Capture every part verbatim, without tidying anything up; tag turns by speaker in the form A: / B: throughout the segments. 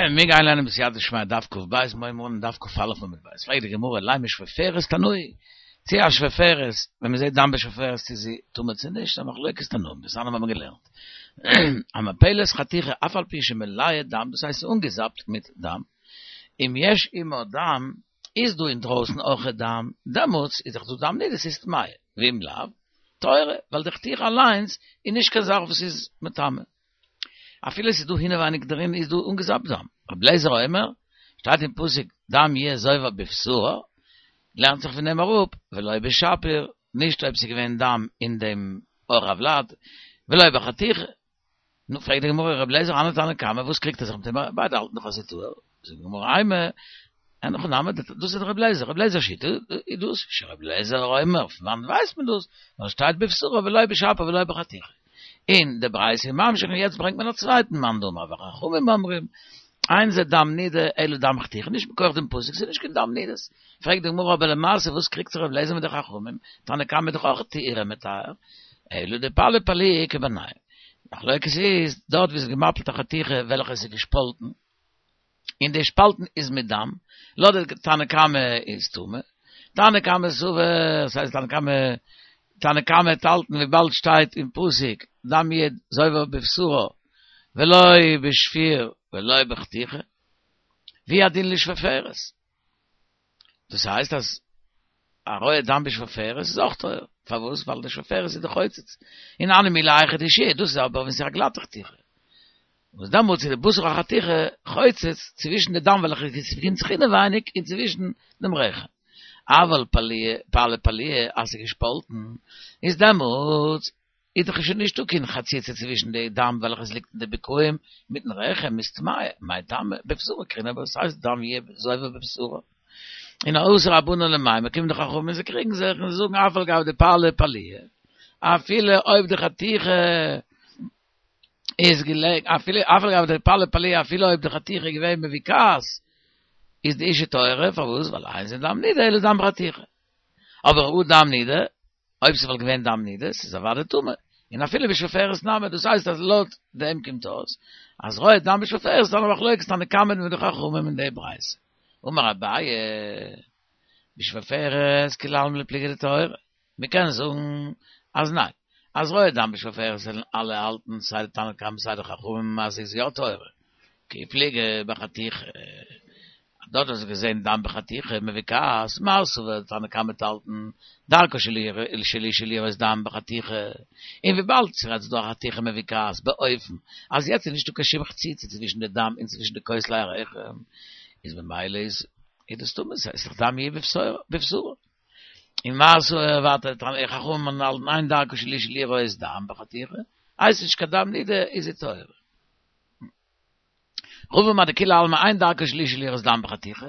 A: מיר גייען לערנען בסייעתא דשמיא דף קב מיר הייבן אן דף כא עמוד ב'. פרעגט די גמרא, לימא שפופרת תנאי, צי א שפופרת, ווען מען זעט דם בשפופרת צי זי טמא צי נישט, א מחלוקת תנאים, דתניא האבן מיר געלערנט. המפלת חתיכה אף על פי שמלאה דם, דאס הייסט ס'איז אנגעזאפט מיט דם, אם יש עמה דם, איז דא אינדרויסן אויך דם, דעמאלטס איז דאך דא דם נידה, ס'איז טמאה, ואם לאו, טהורה, ווייל די חתיכה אליינס איז נישט קיין זאך וואס איז מטמא. אפילו עס איז דא אינעווייניג דערין איז דא אנגעזאפט דם. רבי אליעזר אומר, שטייט אין פסוק דם יהיה זובר בבשרה, לערנט זיך פון דעם אראפ, ולא בשפיר, נישט אויב ס'איז געווען דם אין דעם עור הוולד, ולא בחתיכה. נו, פרעגט די גמרא, רבי אליעזר הני תנא קמא, וואס קריגט ער זיך מיט אים? ביידע האלטן דאך אז ס'איז טהור. זאגט די גמרא, אימא, אין הכי נמי, דאס איז רבי אליעזר, רבי אליעזר'ס שיטה איז דאס, שרבי אליעזר אומר, פון וואנעט ווייסט מען דאס? ווייל שטייט בבשרה ולא בשפיר ולא בחתיכה. און די ברייתא איז ממשיך און יעצט ברענגט מען א צווייטן מאן דאמר וחכמים אומרים, אין זה דם נידה אלא דם חתיכה, נישט מכח דעם פסוק, ס'איז נישט קיין דם נידות. פרעגט די גמרא אבער למעשה וואס קריגט זיך רבי אליעזר מיט די חכמים, תנא קמא איז דאך אויך טהרה מטהר, אלא דפליא פליאי איכא בינייהו. מחלוקת איז דארט ווי ס'איז געמאפלט א חתיכה וועלכע עס איז געשפאלטן, און די שפאלטן איז מיט דם, לויט די תנא קמא איז טמא, תנא קמא סבר, ס'הייסט תנא קמא, תנא קמא וועט האלטן וויבאלד שטייט אין פסוק דם יהיה זובר בבשרה ולא בשפיר ולא בחתיכה, והוא הדין לשפופרת. דאס הייסט אז הרואה דם בשפופרת איז אויך טהור, פארוואס? ווייל די שפופרת איז די חוצץ, און הני מילי היכא דאישיהא, דאס איז אבער ווען ס'איז א גלאטע חתיכה, וואס דעמאלטס איז די בשר החתיכה חוצץ צווישן די דם וועלכע געפינט זיך אינעווייניג און צווישן דעם רחם. אבל פליא פליא פליאה אז ס'איז געשפאלטן, איז דעמאלטס איז דאך שוין נישטא קיין חציצה צווישן די דם וועלכע עס ליגט אין די בקעים מיטן רחם, איז טמאה, מאי טעמא, בבשרה קרינן, וואס הייסט דם יהיה זובר בבשרה? און אתו רבנן למימר, קומען די חכמים און זיי קריגן זיך און זיי זאגן אף על גב דפליא פליאה, אפילו אויב די חתיכה איז געלעגן, אפילו אף על גב דפליא פליאה אפילו אויב די חתיכה איז געווען מבוקעת, איז די אישה טהורה, פארוואס? ווייל אין זה דם נידה אלא דם חתיכה. אבער הא דם נידה, אויב ס'וואלט געווען דם נידות איז אוודאי טמא, און אפילו בשפופרת נמי, דאס הייסט אז לויט דעם קומט אויס אז רואה דם בשפופרת איז א מחלוקת תנא קמא מיט די חכמים אין די ברייתא. אמר אביי, בשפופרת כולי עלמא לא פליגי דטהורה, מ'קען זאגן אז ניין, אז רואה דם בשפופרת וועלן אלע האלטן סיי די תנא קמא סיי די חכמים אז ס'איז יא טהורה, כי פליגי בחתיכה, דארט האט זיך געזען דם בחתיכה מבוקעת, מר סבר תנא קמא וועט האלטן דרכה של אשה לראות דם בחתיכה, און וויבאלד ס'רעדט זיך דא א חתיכה מבוקעת באופן אז יעצט איז נישטא קיין שום חציצה צווישן די דם און צווישן די כותלי הרחם, איז ממילא איז דאס טמא, ס'איז דאך דם יהיה בבשרה. און מר סבר ווייטער חכמים האלטן אין דרכה של אשה לראות דם בחתיכה, הייסט נישט קיין דם נידה איז זי טהורה. רבא אמר דכולי עלמא אין דרכה של אשה לראות דם בחתיכה,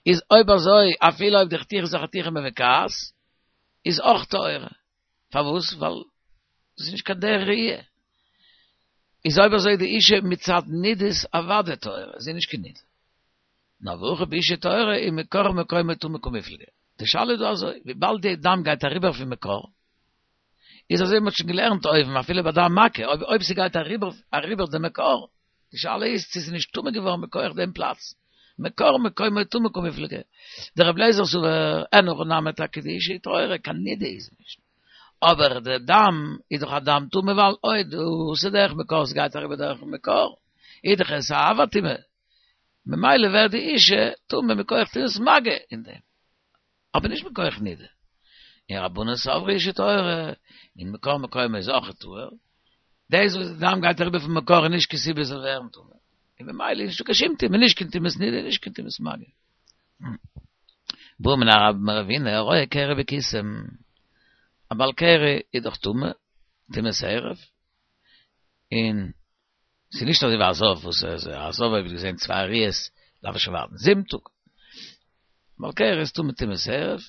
A: איז אויב אזוי אפילו אויב די חתיכה איז א חתיכה מבוקעת, איז אויך טהורה. פארוואס? ווייל דאס איז נישט קיין דרך ראי'. איז אויב אזוי די אישה מצד נידות אוודאי טהורה, זי איז נישט קיין נידה. נאר והכא באשה טהורה איז מקור מקומה טומאה קמיפלגי. די שאלה איז דא אזוי, וויבאלד די דם גייט אריבער פון מקור, איז אזוי מ'האט שוין געלערנט אויבן אפילו ביי דם מכה, אויב אויב ס'גייט אריבער אריבער די מקור, די שאלה איז צו ס'איז נישט טמא געווארן מכח דעם פלאץ, מקור מקומו טמא קמיפלגי, דרבי אליעזר סבר אין הכי נמי טאקע די אישה טהורה, קיין נידה איז נישט, אבער די דם איז דאך א דם טמא ווייל אויב דאס איז דרך מקור ס'גייט אריבער דורכן מקור, איז דאך עס א אב הטומאה, ממילא ווערט די אישה טמא מכח טומאת מגע אין דעם. אבער נישט מכח נידה. און רבנן סברי אשה טהורה, און מקור מקומה איז אויך טהור. דאס וואס די דם גייט אריבער פון מקור איז נישט קיין סיבה עס זאל ווערן טמא. און ממילא איז נישטא קיין שום טומאה, נישט קיין טומאת נידה, נישט קיין טומאת מגע. בעא מיניה רבה מרב הונא, הרואה קרי בקיסם. א בעל קרי איז דאך טמא, טומאת ערב. און ס'איז נישט אזוי ווי א זב וואס א זב אויב האט געזען צוויי ראיות דארף ער שוין ווארטן זיבן טאג. בעל קרי איז טמא טומאת ערב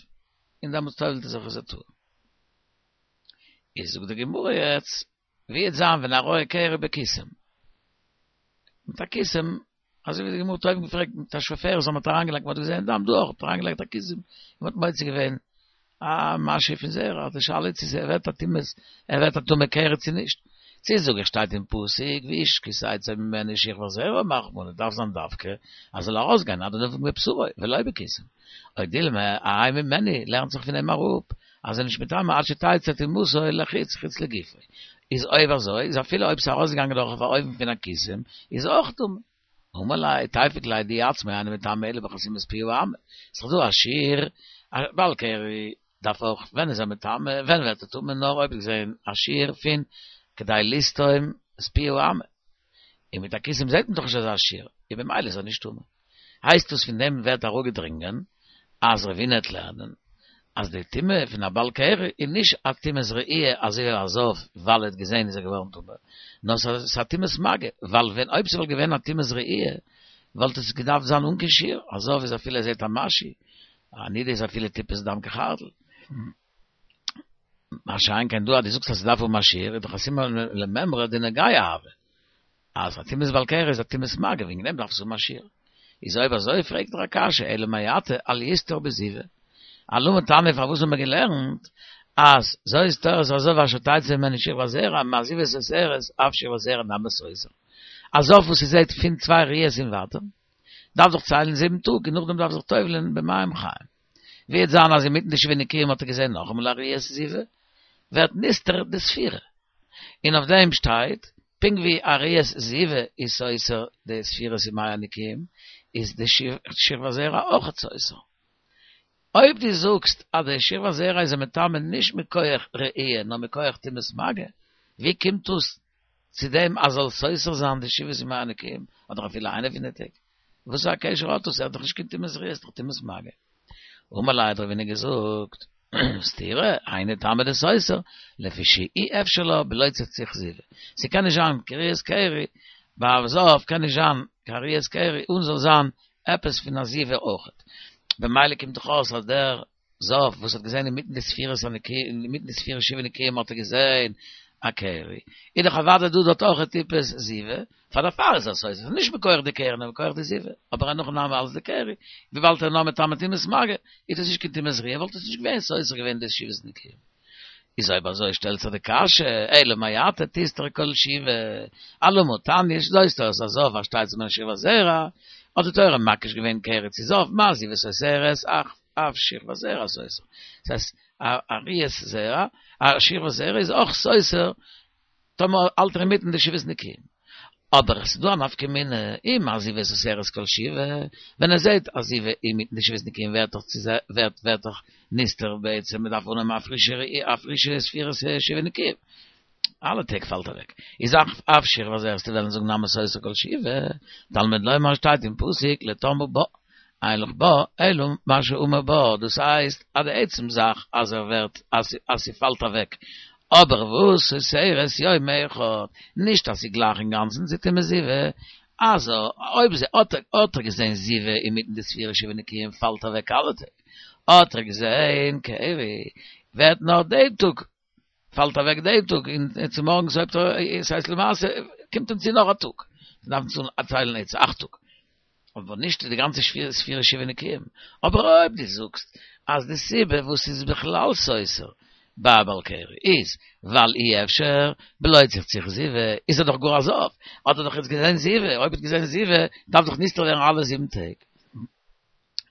A: און דעמאלטס טובל'ט ער זיך איז ער טהור. איז זאגט די גמרא יעצט ווי וועט זיין ווען הרואה קרי בקיסם מיט א קיסם אזוי ווי די גמרא האט אויבן געפרעגט מיט א שפופרת אז מ'האט אריינגעלייגט מ'האט געזען דם דא אויך האט אריינגעלייגט א קיסם און מ'האט מוציא געווען א משהו פון זרע, די שאלה איז צו ס'ווערט א טומאת, ער ווערט א טמא קרי צו נישט. צי זאג איך שטייט אין פסוק, ואיש כי תצא ממנו שכבת זרע אמר רחמנא, דארף זיין דווקא, אז זאל ארויסגיין, עד דנפיק מבשרו, ולא בקיסם. או דילמא, האי ממנו, לערנט זיך פון אים אראפ, אז ער נישט מטמא עד שתצא טומאתו לחוץ, חוץ לגופו. איז אויב אזוי, איז אפילו אויב ס'איז ארויסגעגאנגען דורך אן אופן פון א קיסם, איז אויך טמא. אמר ליה, תיפוק ליה דאי עצמו אינו מטמא אלא בחתימת פי האמה. ס'איז דא א שיעור, א בעל קרי דארף אויך, ווען איז ער מטמא, ווען ווערט ער טמא, נאר אויב געזען א שיעור פון כדי לסתום את פי האמה. און מיט א קיסם זעט מען דאך נישט אזא שיעור, און במילא איז ער נישט טמא. הייסט דאס פון דעם ווערט אראפגעדרינגען אז רב הונא וועט לערנען אז די טומאה פון א בעל קרי איז נישט א טומאת ראי' אזוי ווי א זב ווייל ער האט געזען איז ער געווארן טמא, נאר ס'איז א טומאת מגע, ווייל ווען אויב ס'וואלט געווען א טומאת ראי' וואלט עס געדארפט זיין אן קיין שיעור, א זב איז אפילו ער זעט א משהו, א נידה איז אפילו טיפת דם כחרדל. מה שאין כן דא אז דו זאגסט אז ס'דארף האבן א שיעור איז דאך א סימן למימרא דנגיעה הוי אז א טומאת בעל קרי איז א טומאת מגע וועגן דעם דארף עס האבן א שיעור. איז אויב אזוי פרעגט דער א קשיא אלא מעתה אל יסתור בזיבה אלמה תניא פארוואס האבן מיר געלערנט אז זאת תורת הזב אשר תצא ממנו שכבת זרע מה זיבה סותרת אף שכבת זרע נמי סותר א זב וואס ס'זעהט פון צוויי ראיות און ווייטער דארף זיך ציילן זיבן טאג און נאכדעם דארף זיך טובל'ען במים חיים ווי וועט זיין אז אינמיטן די שבעה נקיים האט ער געזעהן נאכאמאל א ראיית זיבה ווערט נסתר די ספירה און אויף דעם שטייט פונקט ווי א ראיית זיבה איז סותר די ספירת ימי הנקיים איז די שכבת זרע אויכעט סותר. אויב דו זאגסט אז די שכבת זרע איז מטמא נישט מכח ראי' נאר מכח טומאת מגע, ווי קומט דאס צו דעם אז זאל סותר זיין די שבעת ימי הנקיים אדער אפילו איינע פון די טעג? וואס פאר א קשר האט דאס? ער האט דאך נישט קיין טומאת ראי', ס'איז דאך טומאת מגע. אמר ליה האט רב הונא געזאגט, סתירה, היינו טעמא דסותר, לפי שאי אפשר לה בלא צחצוח זיבה. ס'קען נישט זיין קיין ראיית קרי, ביי א זב קען נישט זיין קיין ראיית קרי אן זאל זיין עפעס פון א זיבה אויכעט. במילא קומט דאך אויס אז דער זב וואס האט געזען אינמיטן די ספירות הנקיים, אינמיטן די ספירה שבעה נקיים האט ער געזען א קרי, איז דאך אוודאי דא דארט אויך טיפת זיבה, פאר דערפאר איז ער סותר, נישט מכח די קרי נאר מכח די זיבה, אבער אין הכי נמי אלס די קרי, וויבאלד ער איז נאר מטמא טומאת מגע, איז דאס נישט קיין טומאת ראיה, וואלט עס נישט געווען סותר געווען די שבעת נקיים. איז אויב אזוי שטעלט זיך די קשיא, אלא מעתה תסתור כל שבעה, אלמה תניא זאת תורת הזב אשר תצא ממנו שכבת זרע, האט די תורה מקיש געווען קרי צו זב, מה זיבה סותרת, אף שכבת זרע סותר. דאס הייסט א ראיית זרע, א שכבת זרע איז אויך סותר טאמער האלט ער אינמיטן די שבעת נקיים. אבער עס איז דא א נפקא מינה, אי מה זיבה סותרת כל שבעה, ווען ער זעהט א זיבה אינמיטן די שבעת נקיים ווערט דאך ווערט ווערט דאך נסתר בעצם מען דארף אנהייבן א פרישע א פרישע ספירת שבעה נקיים. אלע טעג פאלט אוועק. איז אף אף שכבת זרע וועסטו וועלן זאגן נמי סותר כל שבעה, תלמוד לומר שטייט אין פסוק לטמאה בה, אין לך בה אלא מה שאמור בה, דאס הייסט אז די עצם זאך אז ער ווערט אז ס'פאלט אוועק, אבער וואס סותרת יום אחד, נישט אז ס'גלייך אינגאנצן צו טומאת זיבה, אז אויב האט ער געזען זיבה אינמיטן די ספירה שבעה נקיים פאלט אוועק אלע טעג, האט ער געזען קרי ווערט נאר דעם טאג פאלט אוועק דעם טאג און צומארגנס הויבט ער, ס'הייסט למעשה קומט אים צו נאך א טאג, דארף מען ציילן יעצט אכט טאג, אבער נישט די גאנצע ספירה שבעה נקיים, אבער אויב דו זאגסט אז די סיבה וואס ס'איז בכלל סותר ביי בעל קרי איז ווייל אי אפשר בלא צחצוח זיבה, איז ער דאך גאר א זב, האט ער דאך יעצט געזען זיבה, אויב האט געזען זיבה דארף דאך נסתר ווערן אלע זיבן טעג.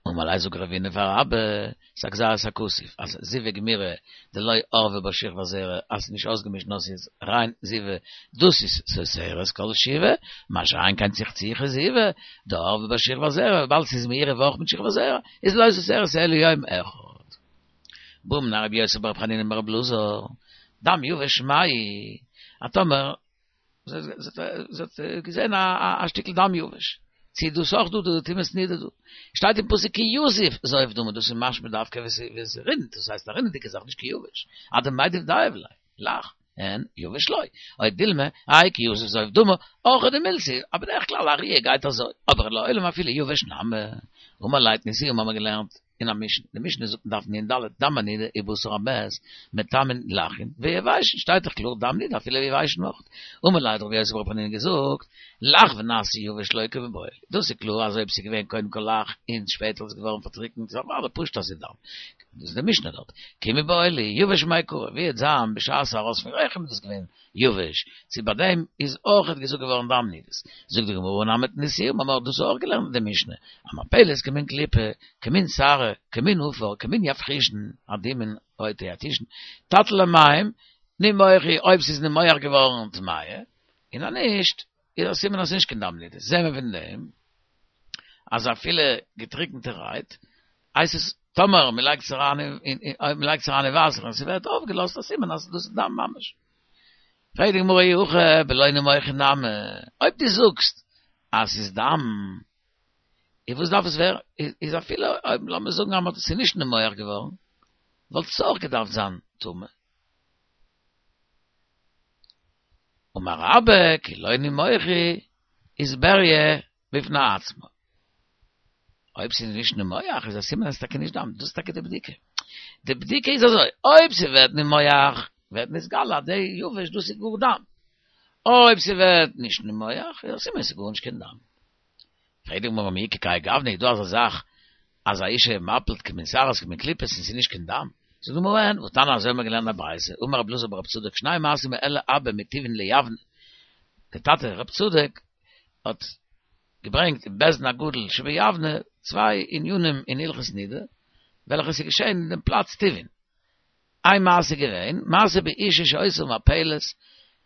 A: אמר ליה זאגט רב הונא פאר אבא, ס'איז א גזירת הכתוב אז זיבה גמורה דלא ערבה בה שכבת זרע אז ס'איז נישט אויסגעמישט נאר ס'איז ריין זיבה דאס איז סותרת כל שבעה, מה שאין כן צחצוחי זיבה דערבה בה שכבת זרע וויבאלד ס'איז מעורב אויך מיט שכבת זרע איז לא סותרת אלא יום אחד. בעא מיניה רבי יוסי ברבי חנינא מרבי אלעזר, דם יבש מהו, אז טאמער זי האט געזען א שטיקל דם יבש. צו איז דאס אויך דא די טומאת נידה דא? שטייט אין פסוק כי יזיף זוב דמא, דאס איז משמע דווקא ווען ס'רינט, דאס הייסט א רינעדיגע זאך נישט קיין יבש. אדמיטב דיו ליה, לח, אין יבש לא. או דילמא, האי כי יזיף זוב דמא, אורחא דמילתא, אבער בדרך כלל א ראיה גייט אזוי, אבער לעולם אפילו יבש נמי. אמר ליה מתניתין האבן מיר געלערנט אין א משנה, די משנה זאגט אין דף נ"ד, דם הנידה ובשר המת מטמאין לחין ויבשין, שטייט דאך קלאר דם נידה אפילו יבשין אויך. אמר ליה האט רבי יוסי ברבי חנינא געזאגט, לח ונעשה יבש לא קמיבעיא לי. דאס איז קלאר אז אויב ס'איז געווען קודם כל לח און שפעטער איז געווארן פארטריקנט איז אוודאי פשוט אז ס'איז דם. דאס איז די משנה דארט. כי מיבעיא לי, יבש מאי קרא, ווי וועט זיין בשעת ארויס פון רחם איז דאס געווען יבש, צו ביי דעם איז אויכעט געזאגט געווארן דם נידות. זאגט די גמרא הא נמי תניתוה, מיר האבן דאס אויך געלערנט אין די משנה, המפלת כמין קליפה, כמין שערה, כמין עפר, כמין יבחושין, אדומין, רויטע יתושין, תטיל למים, נימוח אויב ס'איז נימוח געווארן טמאה, און אז נישט, איז א סימן אז ס'איז נישט קיין דם נידות. זעהן מיר פון דעם אז אפילו געטריקנטערהייט הייסט עס טאמער מ'לייגט עס אריין אין אויב מ'לייגט עס אריין אין וואסער און ס'ווערט אויפגעלאזט א סימן אז דאס איז דם ממש. פרעגט די גמרא אי הכי בלא נימוח נמי, אויב דו זאגסט אז ס'איז דם, איז וואס דארף עס ווערן, איז אפילו אויב לאמיר זאגן אז ס'איז נישט נימוח געווארן, וואלט עס אויך געדארפט זיין טמא. אמר רבה כי לא נימוח איז בריה בפני עצמה. אויב ס'איז נישט נימוח איז א סימן אז ס'איז טאקע נישט דם, דאס איז טאקע די בדיקה. די בדיקה איז אזוי, אויב ס'ווערט נימוח ווערט נתגלה אז די יבש דאס איז גאר דם. אויב ס'ווערט נישט נימוח איז א סימן ס'איז גארנישט קיין דם. פרעגט די גמרא מי איכא כהאי גוונא איז דא אזא זאך אז א אשה מפילת כמין שערות כמין קליפות און ס'איז נישט קיין דם? זאגט די גמרא אין, והתניא אזוי האבן מיר געלערנט א ברייתא, אמר רבי אלעזר ברב צדוק שני מעשים העלה אבא מטיבעין ליבנה, דער טאטע רב צדוק האט געברענגט אין בית דין הגדול שביבנה צוויי ענינים אין הלכות נידה וועלכע ס'איז געשען אין דעם פלאץ טיבעין, איין מעשה איז געווען, מעשה באשה שהיתה מפלת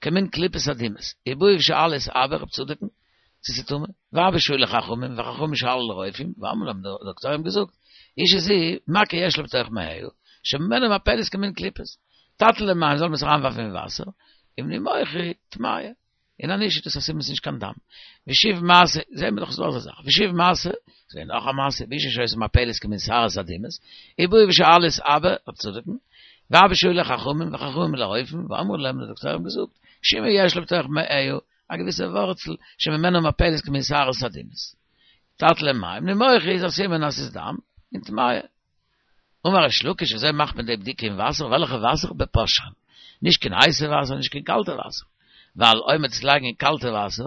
A: כמין קליפות אדומות, ובאו ושאלו את אבא רב צדוק'ן, צו ס'איז טמא, ואבא שאל לחכמים, וחכמים שאלו לרופאים, ואמרו להם, די דאקטוירים האבן געזאגט, אשה זו, מכה יש לה בתוך מעיה, שממנה מפלת כמין קליפות, תטיל למים, זאל מען עס אריינווארפן אין וואסער, אם נימוחה טמאה. און אז נישט איז דאס א סימן ס'איז נישט קיין דם. ושוב מעשה, זעהן מיר דאך ס'איז דא אזא זאך. ושוב מעשה, ס'איז געווען נאך א מעשה, באשה שהיתה מפלת כמין שערות אדומות, ובאו ושאלו את אבא, רב צדוק'ן, ואבא שאל לחכמים, וחכמים לרופאים, ואמרו להם, די דאקטוירים האבן געזאגט, שומא יש לה בתוך מעיה, א געוויסע ווארצל, שממנה מפלת כמין שערות אדומות. תטיל למים, נימוחה איז א סימן אז ס'איז דם, און טמאה. אמר ריש לקיש, וויאזוי מאכט מען די בדיקה אין וואסער? וועלכע וואסער? בפושרין. נישט קיין הייסע וואסער, נישט קיין קאלטע וואסער. ווייל אויב מ'וועט עס לייגן אין קאלטע וואסער,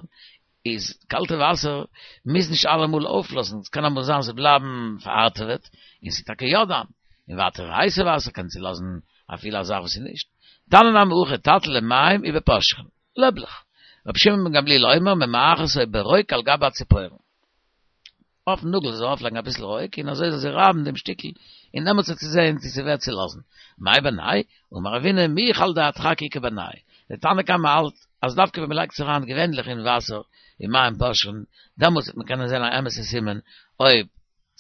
A: איז קאלטע וואסער מוז נישט אלעמאל אויפלאזן, עס קען אמאל זיין ס'זאל בלייבן פארהארטעוועט, און ס'איז טאקע יא דם. און ווייטער הייסע וואסער קען צולאזן אפילו א זאך וואס איז נישט. תניא נמי הכי תטיל למים ובפושרין. לעבלעך. רבי שמעון בן גמליאל אומר ממעכתו ברוק על גבי הציפורן. אויפן נאגל זאל ארויפלייגן אביסל רוק און אזוי זאל זי רייבן דעם שטיקל און דעמאלטס וועט זי זען צו ס'ווערט צולאזן. מאי בינייהו? אמר רבינא מיך על דהדחק איכא בינייהו. דער תנא קמא האלט אז דווקא ווען מ'לייגט עס אריין געווענליך אין וואסער אין מים פושרין דעמאלטס וועט מען קענען זען א אמת'ע סימן אויב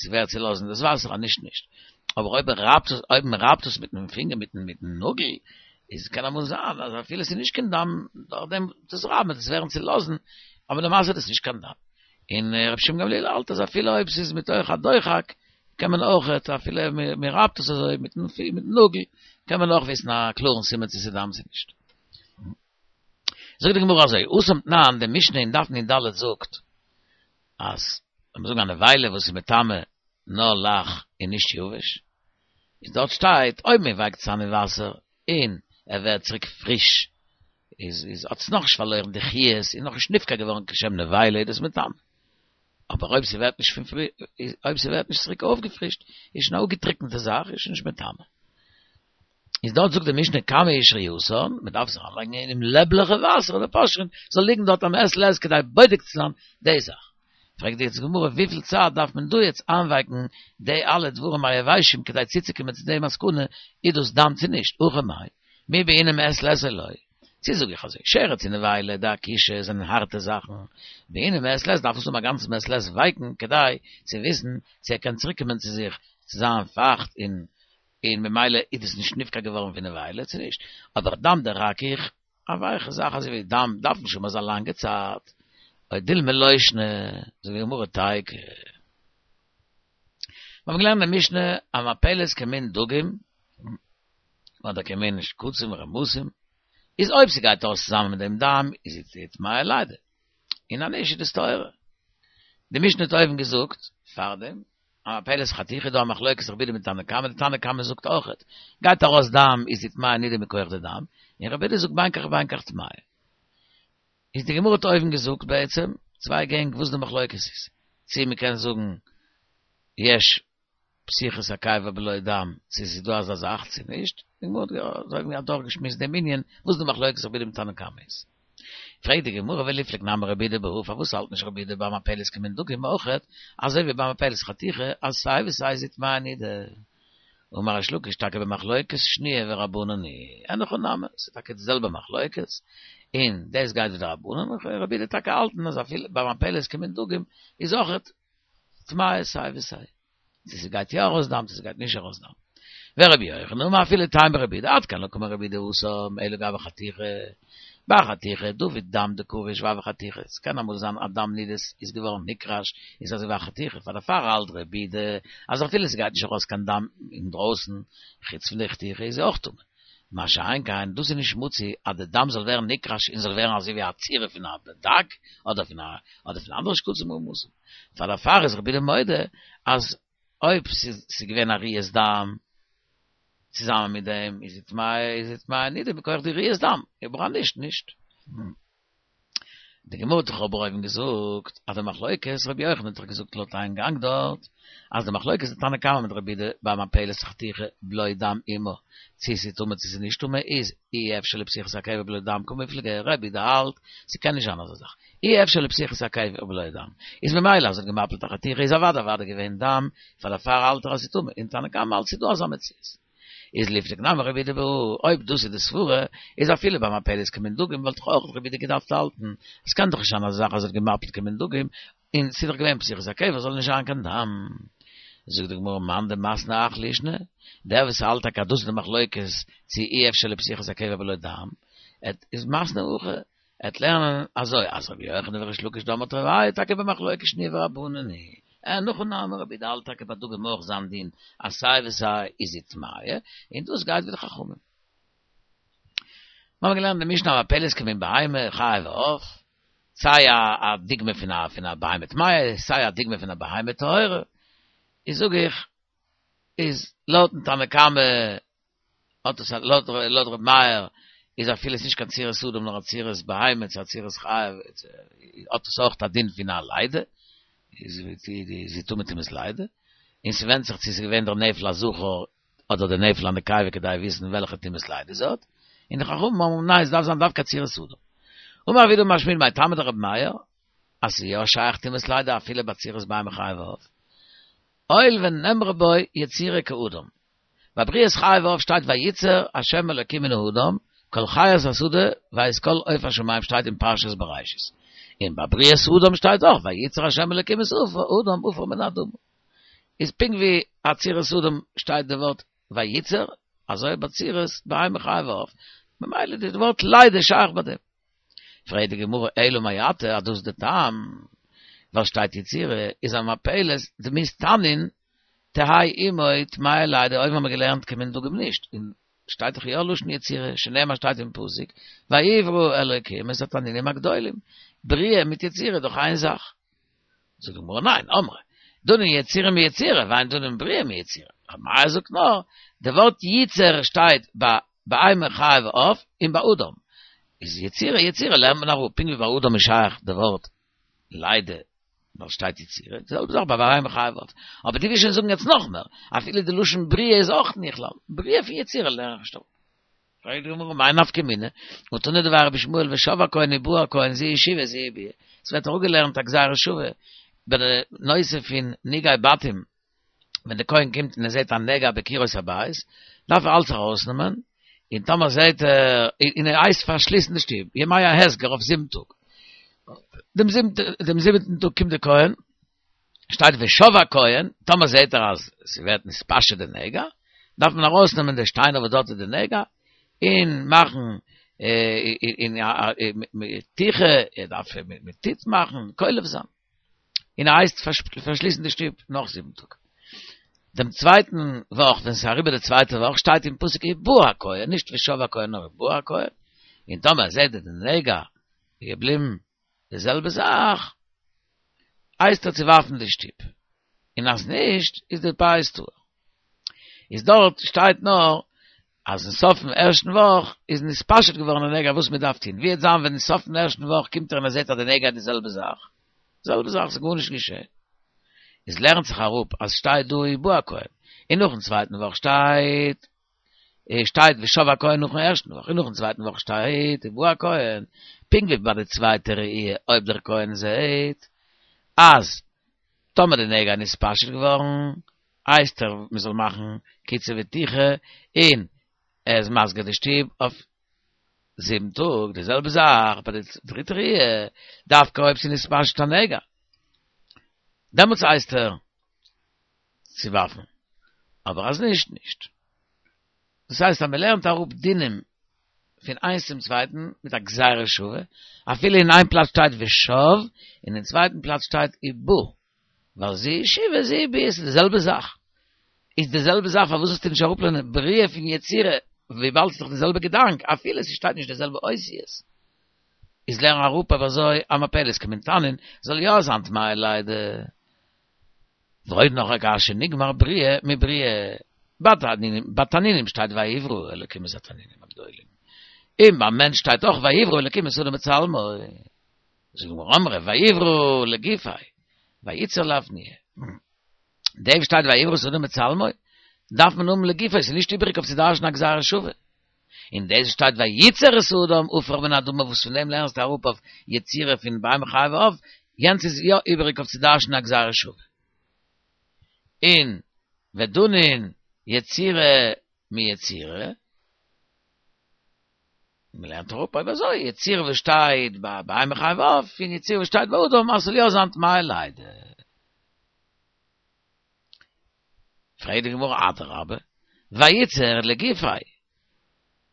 A: ס'ווערט צולאזן דאס וואסער אז נישט נישט. אבער אויב מ'רייבט עס אויב מ'רייבט עס מיטן פינגער מיטן מיטן נאגל איז קען אמאל זיין אז אפילו ס'איז נישט קיין דם דורך דעם דאס רייבן וועט עס ווערן צולאזן אבער למעשה איז דאס נישט קיין דם. און רבי שמעון גמליאל האלט אז אפילו אויב ס'איז מתוך הדוחק קען מען אויך, אפילו מען רייבט עס אזוי מיטן נאגל, קען מען אויך וויסן א קלארן סימן צו ס'איז דם צו נישט. זאגט די גמרא אזוי, התם תנן, די משנה אין דף נ"ד זאגט אז לאמיר זאגן א נבילה וואס איז מטמא נאר לח און נישט יבש, איז דארט שטייט אויב מען ווייקט עס איין אין וואסער און ער ווערט צוריק פריש, איז איז האט עס נאכנישט פארלוירן די חיות און נאכנישט נפקע געווארן כשם נבילה איז דאס מטמא. אבער אויב ס'ווערט נישט פון פרי אויב ס'ווערט נישט צוריק אויפגעפרישט איז שוין א אפגעטריקענטע זאך איז שוין נישט מטמא. איז דארט זאגט די משנה כמה היא שריותן, מ'דארף עס אריינלייגן אינעם לעבליכע וואסער אדער פושרין, ס'זאל ליגן דארט א מעת לעת כדי בודק צו זיין די זאך. פרעגט די גמרא וויפיל צייט דארף מען דא יעצט איינווייקן די אלע דברים היבשים כדי צוצוקומען צו די מסקנא איז דאס דם צו נישט, הכא מאי, מי בעינן מעת לעת או לא, צו זאג איך אזוי, שרץ און נבילה דאכישי זענען הארטע זאכן, בעינן מעת לעת דארף עס האבן א גאנצן מעת לעת ווייקן כדי צו וויסן צו ער קען צוריקקומען צו זיך צו זיין פייכט און און ממילא איז דאס נישט נפקע געווארן פון נבילה צו נישט, אבער דם דרכיך א ווייכע זאך אזוי ווי דם דארף נישט האבן אזא לאנגע צייט, או דילמא לא שנא, זאגט די גמרא תיקו. מיר האבן געלערנט אין משנה המפלת כמין דגים, אדער כמין שקצים ורמשים, איז אויב ס'גייט אויס צוזאמען מיט דעם דם איז זי טמאה ליידער, און אז נישט איז דאס טהורה. די משנה האט אויבן געזאגט פארדעם המפלת חתוכה דא א מחלוקת רבי יהודה מיט תנא קמא, די תנא קמא זאגט אויכעט, גייט ארויס דם איז זי טמאה נידה מכח די דם, און רבי יהודה זאגט בין כך ובין כך טמאה. איז די גמרא האט אויבן געזאגט בעצם, צוויי גענג וואס די מחלוקת איז. צי מ'קען זאגן יש פתיחת הקיבה בלא דם, צי ס'איז דא אזא זאך צי נישט. די גמרא האט אויבן אדורכגעשמועסט דעם ענין וואס די מחלוקת רבי יהודה מיט תנא קמא איז. פרעגט די גמרא וליפלוג נמי רבי יהודה בהא, פארוואס האלט נישט רבי יהודה ביי מפלת כמין דגים אויכעט, אזוי ווי ביי מפלת חתיכה, אז סיי ווי סיי איז זי טמאה נידה. אמר ריש לקיש טאקע במחלוקת שניה ורבנן היא, אין הכי נמי, ס'איז טאקע די זעלבע מחלוקת, און דאס גייט ווי די רבנן, און רבי יהודה טאקע האלטן אז אפילו ביי מפלת כמין דגים איז אויכעט טמאה סיי ווי סיי. צו ס'גייט יא ארויס דם צו ס'גייט נישט ארויס דם. ורבי יוחנן אמר אפילו טעמא רבי יהודה עד כאן לא קאמר רבי יהודה התם אלא גבי חתיכה. ביי חתיכה דעביד דם דקריש והוה חתיכה. ס'קען אמאל זיין אז דם נידות איז געווארן נקרש און ס'איז אזוי ווי א חתיכה פאר דערפאר האלט רבי יהודה אז אפילו ס'גייט נישט ארויס קיין דם אינדרויסן חוץ פון די חתיכה איז זי אויך טמא. מה שאין כן דאס איז נישט מצוי אז די דם זאל ווערן נקרש און זאל ווערן אזוי ווי א צורה פון א דג אדער פון א אדער פון אנדערע שקצים ורמשים. פאר דערפאר איז רבי יהודה מודה אז אויב ס'איז געווען א ראיית דם צוזאמען מיט דעם איז זי טמאה איז זי טמאה נידה מכח די ראיית דם, אבער אז נישט נישט. די גמרא האט דאך אבער אויבן געזאגט אז די מחלוקת, רבי יוחנן האט דאך געזאגט לויט איין גאנג דארט, אז די מחלוקת די תנא קמא מיט רבי יהודה ביי מפלת חתיכה בלא דם עמה, צו ס'איז טמא צו ס'איז נישט טמא איז אי אפשר לפתיחת הקיבה בלא דם קמיפלגי, רבי יהודה האלט ס'קען נישט זיין אזא זאך אי אפשר לפתיחת הקיבה בלא דם, איז ממילא אז ער האט געמפלט א חתיכה איז אוודאי אוודאי געווען דם, פאר דערפאר האלט ער אז ס'איז טמא, און תנא קמא האלט ס'איז דא אזא מציאות. איז ליפלוג נמי רבי יהודה בהא, אויב דאס איז די סברה, איז אפילו ביי מפלת כמין דגים וואלט דאך אויך רבי יהודה געדארפט האלטן, עס קען דאך נישט זיין אזא זאך אז ער האט געמפלט כמין דגים, און ס'איז דאך געווען פתיחת הקיבה זאל נישט זיין קיין דם. זאגט די גמרא מאן דמתני הך לישנא, דער וואס האלט טאקע אז דאס איז די מחלוקת צו אי אפשר לפתיחת הקיבה בלא דם, איז מתני הכי, עט לערנען אזוי אז רבי יוחנן וריש לקיש דאמרי תרוייהו טאקע במחלוקת שניה ורבנן היא, אין הכי נמי רבי יהודה האלט טאקע ביי דגים אויך זיין דין אז סיי ווי סיי איז זי טמאה, און דאס גייט ווי די חכמים. מיר האבן געלערנט די משנה המפלת כמין בהמה חיה ועוף, סיי א דוגמא פון א פון א בהמה טמאה, סיי א דוגמא פון א בהמה טהורה, איז זאג איך, איז לויטן תנא קמא האט עס לויט לויט ר' מאיר איז אפילו עס נישט קיין צורת אדם נאר א צורת בהמה צו א צורת חיה האט עס אויך א דין פון א לידה, איז זי טמא טומאת לידה, און ס'ווענדט זיך צו ס'איז געווען דער נפל א זכר אדער דער נפל א נקבה כדי וויסן וועלכע טומאת לידה זי האט, און די חכמים האבן ניין עס דארף זיין דווקא צורת אדם. אמר רב יהודה אמר שמואל מאי טעמא דרבי מאיר אז ס'איז יא שייך טומאת לידה אפילו ביי צורת בהמה חיה ועוף, הואיל ונאמרה בו יצירה כאדם. ביי בריאת חיה ועוף שטייט וייצר ה' אלוקים מן האדם כל חית השדה ואת כל עוף השמים שטייט אין פרשת בראשית. און ביי בריאת אדם שטייט אויך וייצר ה' אלוקים את האדם עפר מן האדמה. איז פונקט ווי א צורת אדם שטייט די ווארט וייצר, אזוי ביי צורת בהמה חיה ועוף, ממילא איז די ווארט לידה שייך ביי דעם. פרעגט די גמרא אלא מעתה אז דאס איז די טעם ווייל שטייט יצירה איז המפלת דמות תנין תהא עמו טמאה לידה אויבן האבן מיר געלערנט כמין דגים נישט און שטייט דאך יא לשון יצירה שנאמר שטייט אין פסוק ויברא אלוקים את התנינים הגדולים בריאה מיט יצירה איז דאך איין זאך זאגט די גמרא ניין אמרי דנין יצירה מיצירה ואין דנין בריאה מיצירה ר' מאיר זאגט נאר די ווארט ייצר שטייט ביי בהמה חיה ועוף און ביי אדם איז יצירה יצירה לערנט מען אראפ פונקט ווי ביי אדם איז שייך די ווארט לידה ווייל שטייט יצירה די זעלבע זאך ביי בהמה חיה ועוף אבער דו ווילסט שוין זאגן יעצט נאך מער אפילו די לשון בריאה איז אויך נכלל בריאה פון יצירה לערן איך נישט אפ פרעגט די גמרא מאי נפקא מינה והתנא דבי רבי ישמעאל ושב הכהן ובא הכהן זו היא שיבה זו היא ביאה עס ווערט אראפגעלערנט א גזירה שווה ביי די נושא פון נגעי בתים ווען די כהן קומט און ער זעט א נגע בקירות הבית, דארף ער אלץ ארויסנעמען, און טאמער זעט ער, און ער הייסט פארשליסן די שטוב, ימי ההסגר אויף זיבן טאג, דעם דעם זיבעטן טאג קומט די כהן, שטייט ושב הכהן, טאמער זעט ער אז ס'ווערט נתפשט די נגע, דארף מען ארויסנעמען די שטיינער וואס דארט איז די נגע, און מאכן און תוכה, ער דארף מיט טיט מאכן, קולף זיין. און ער הייסט פארשליסן די שטוב נאך זיבן טאג. דעם צווייטן וואך, ווען ס'איז אריבער די צווייטע וואך, שטייט אין פסוק ובא הכהן, נישט ושב הכהן נאר ובא הכהן, און טאמער ער זעט די נגע איז געבליבן די זעלבע זאך, הייסט ער צו ווארפן די שטוב, און אז נישט איז די בית טהור. איז דארט שטייט נאר אז אין סוף פון ערשטן וואך איז נתפשט געווארן די נגע וואס מען דארף טון, ווי וועט זיין ווען אין סוף פון ערשטן וואך קומט ער און ער זעט אז די נגע איז די זעלבע זאך, זעלבע זאך, ס'איז גארנישט געשען. איז לערנט זיך אראפ אז שטייט דא ובא הכהן, און נאכן צווייטן וואך שטייט שטייט ושב הכהן נאכן ערשטן וואך, און נאכן צווייטן וואך שטייט ובא הכהן, פונקט ווי ביי די צווייטע ראי' אויב דער כהן זעט אז טאמער די נגע איז נתפשט געווארן הייסט ער מען זאל מאכן קיצה ותיכה און ער איז מסגיר די שטוב אויף זיבן טאג, די זעלבע זאך ביי די דריטע ראי' דווקא אויב ס'איז נתפשט א נגע דעמאלטס הייסט ער צו ווארפן, אבער אז נישט נישט. דאס הייסט אז מען לערנט אראפ דינים פון איינס צום צווייטן מיט א גזירה שווה, אפילו אין איין פלאץ שטייט ושב און אין צווייטן פלאץ שטייט ובא, ווייל זו שיבה זו ביאה ס'איז די זעלבע זאך. איז די זעלבע זאך פארוואס זאלסטו נישט אראפלערנען בריאה פון יצירה וויבאלד ס'איז דאך די זעלבע געדאנק אפילו ס'שטייט נישט די זעלבע אותיות. איז לערן אראפ אויב אזוי א מפלת כמין תנין זאל יא זיין טמאה לידה. ועוד נאך א קשיא נגמר בריאה מבריאה. ביי תנינים שטייט ויברא אלקים את התנינים הגדולים. און ביים מענטש שטייט אויך ויברא אלקים את האדם בצלמו. זאגט די גמרא אמרי ויברא לגופיה וייצר לאפנויי. דעם שטייט ויברא את האדם בצלמו דארף מען האבן לגופיה, ס'איז נישט איבעריג אויף צו דרש'ן א גזירה שווה. און דאס שטייט וייצר את האדם עפר מן האדמה וואס פון דעם לערנסטו אראפ אויף יצירה פון בהמה חיה ועוף, יענץ איז יא איבעריג אויף צו דרש'ן א גזירה שווה. און ודנין יצירה מיצירה. מען לערנט אראפ אויב אזוי יצירה וואס שטייט ביי בהמה חיה ועוף און יצירה וואס שטייט ביי אדם אז ס'זאל יא זיין טמאה לידה. פרעגט די גמרא אדרבה, וייצר לגופיה,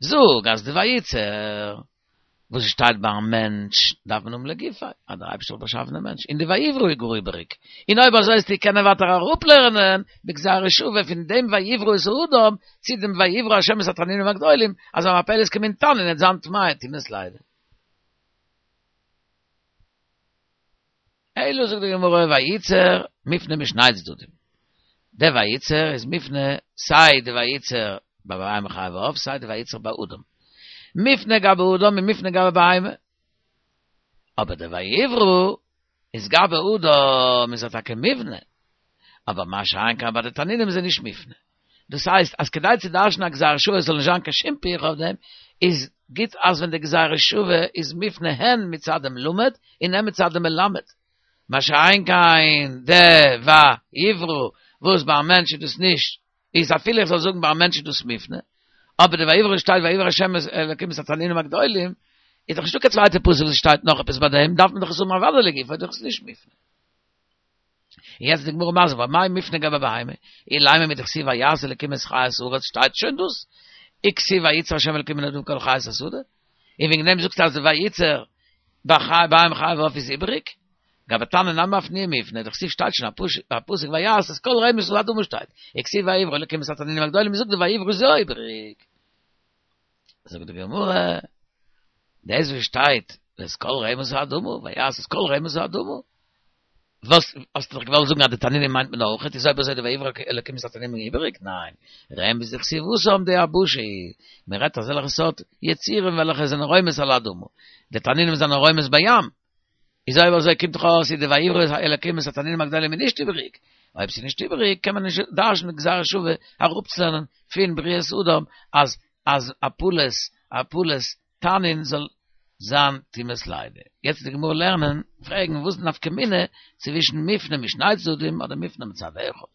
A: זאג אז די וייצר וואס שטייט ביים מענטש דארף מען האבן לגופיה, אז דער אייבערשטער האט באשאפן דעם מענטש, און די ויברא איז גאר איבעריג, און אויב אזוי וועסטו קענען ווייטער אראפלערנען בגזירה שווה פון דעם ויברא את האדם צו דעם ויברא השם את התנינים הגדולים, אז א מפלת כמין תנין וועט זיין טמאה טומאת לידה. אלא זאגט די גמרא וייצר מופנה משני צדדים, די וייצר איז מופנה סיי די וייצר ביי בהמה חיה ועוף סיי די וייצר ביי אדם, מופנה גבי אדם און מופנה גבי בהמה, אבער די ויברא איז גבי אדם איז ער טאקע מובנה, אבער מה שאין כן ביי די תנינים איז ער נישט מופנה. דאס הייסט אז כדי צו דרש'ן א גזירה שוה עס זאל נישט זיין קיין שום פירכא אויף דעם, איז גוט אז ווען די גזירה שוה איז מופנה הן מצד דעם למד און הן מצד דעם מלמד. מה שאין כן די ויברא וואס ביי א מענטש איז דאס נישט, איז אפילו איך זאל זאגן ביי א מענטש איז דאס מופנה, אבער די ויברא שטייט ויברא השם אלקים את התנינים הגדולים, איז דאך נישטא קיין צווייטע פסוק וואס שטייט נאך עפעס ביי דעם, דארף מען דאך עס האבן אוודאי לגופו, איז דאך עס נישט מופנה. און יעצט איז די גמרא מסביר ואמאי מופנה גבי בהמה, אילימא מדכתיב ויעש אלקים את חית הארץ שטייט שוין דאס, וכתיב וייצר השם אלקים מן האדמה כל חית השדה, און וועגן דעם זאגסטו אז די וייצר ביי בהמה חיה ועוף איז איבעריג, גבי תנין נמי אפנויי מופנה, דכתיב שטייט שוין א פסוק ויעש את כל רמש האדמה שטייט, וכתיב ויברא אלקים את התנינים הגדולים מ'זאגט די ויברא איז יא איבעריג. זאגט די גמרא, דאס וואס שטייט את כל רמש האדמה ויעש את כל רמש האדמה, וואס האסטו דאך געוואלט זאגן אז די תנינים מיינט מען אויך, איז אויב אזוי די ויברא אלקים את התנינים איבעריג? ניין, רמש דכתיב התם דיבשה היא, מען רעדט אזעלכע סארט יצורים וועלכע זענען רומש על האדמה, די תנינים זענען רומש בים, איז אויב אזוי קומט דאך אויס אז די ויברא אלקים את התנינים הגדולים איז נישט איבעריג, אויב ס'איז נישט איבעריג קען מען נישט דרש'ן גזירה שווה אראפצולערנען פון בריאת אדם אז אז הפלת הפלת תנין זאל זיין טומאת לידה. יעצט וועט די גמרא לערנען, פרעגן וואס איז די נפקא מינה צווישן מופנה משני צדדים אדער מופנה מצד אחד.